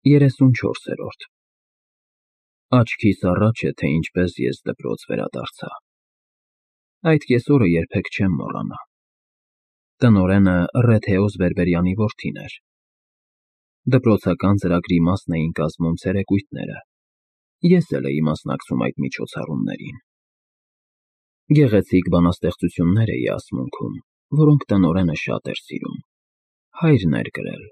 34-րդ Աչքիս առաջ է, թե ինչպես ես դպրոց վերադարձա։ Այդ կեսօրը երբեք չեմ մոռանա։ Տնօրենը Ռեթեոս Բերբերյանի որդին էր։ Դպրոցական ծրագրի մասն էին կազմում ցերեկույթները, ես էլ էի մասնակցում այդ միջոցառումներին։ Գեղեցիկ բանաստեղծություններ էի ասմունքում, որոնք տնօրենը շատ էր սիրում, հայրն էր գրել։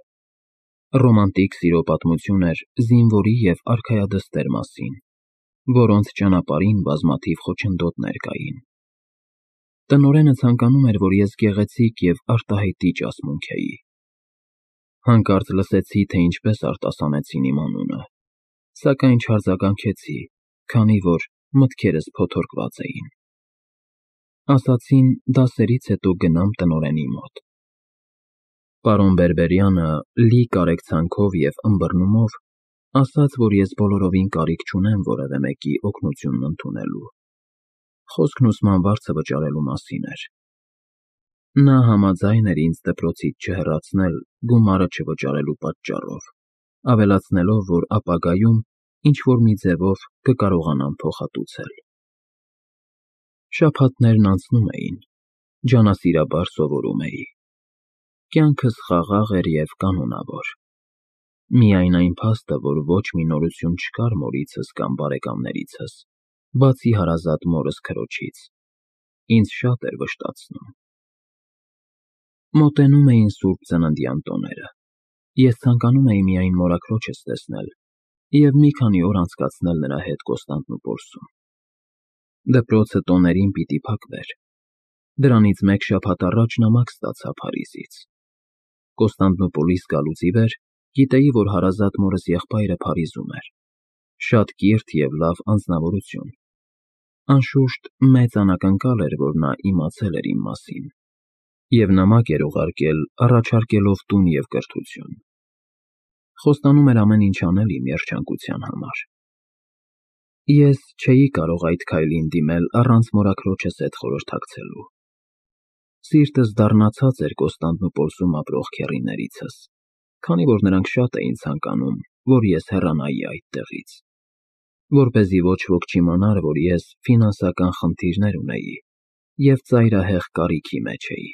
Ռոմանտիկ սիրո պատմություն էր զինվորի և արքայադստեր մասին, որոնց ճանապարհին բազմաթիվ խոչընդոտներ կային։ Տնօրենը ցանկանում էր, որ ես գեղեցիկ և արտահայտիչ ասմունքեի։ Հանկարծ լսեցի, թե ինչպես արտասանեցին իմ անունը, սակայն չարձագանքեցի, քանի որ մտքերս փոթորկված էին։ Ասացին դասերից հետո գնամ տնօրենի մոտ։ Պարոն Բերբերյանը լի կարեկցանքով և ըմբռնումով ասաց, որ ես բոլորովին կարիք չունեմ որևէ մեկի օգնությունն ընդունելու, խոսքն ուսման վարձը վճարելու մասին էր։ Նա համաձայն էր ինձ դպրոցից չհեռացնել գումարը չվճարելու պատճառով, ավելացնելով, որ ապագայում ինչ-որ մի ձևով կկարողանամ փոխհատուցել։ Շաբաթներն անցնում էին, ջանասիրաբար սովորում էի։ Կյանքս խաղաղ էր և կանոնավոր։ Միայն այն փաստը, որ ոչ մի նորություն չկար մորիցս կամ բարեկամներիցս, բացի հարազատ մորս քրոջից, ինձ շատ էր վշտացնում։ Մոտենում էին Սուրբ Ծննդյան տոները։ Ես ցանկանում էի միայն մորաքրոջս տեսնել և մի քանի օր անցկացնել նրա հետ Կոստանդնուպոլսում։ Դպրոցը տոներին պիտի փակվեր։ Դրանից մեկ շաբաթ առաջ նամակ ստացա Փարիզից։ Կոստանդնուպոլիս գալուց ի վեր գիտեի, որ հարազատ մորս եղբայրը Փարիզում էր, շատ կիրթ և լավ անձնավորություն։ Անշուշտ, մեծ անակնկալ էր, որ նա իմացել էր իմ մասին և նամակ էր ուղարկել, առաջարկելով տուն և կրթություն։ Խոստանում էր ամեն ինչ անել իմ երջանկության համար։ Ես չէի կարող այդ քայլին դիմել առանց մորաքրոջս հետ խորհրդակցելու։ Սիրտս դառնացած էր Կոստանդնուպոլսում ապրող քեռիներիցս, քանի որ նրանք շատ էին ցանկանում, որ ես հեռանայի այդտեղից, որպեսզի ոչ ոք չիմանար, որ ես ֆինանսական խնդիրներ ունեի և ծայրահեղ կարիքի մեջ էի։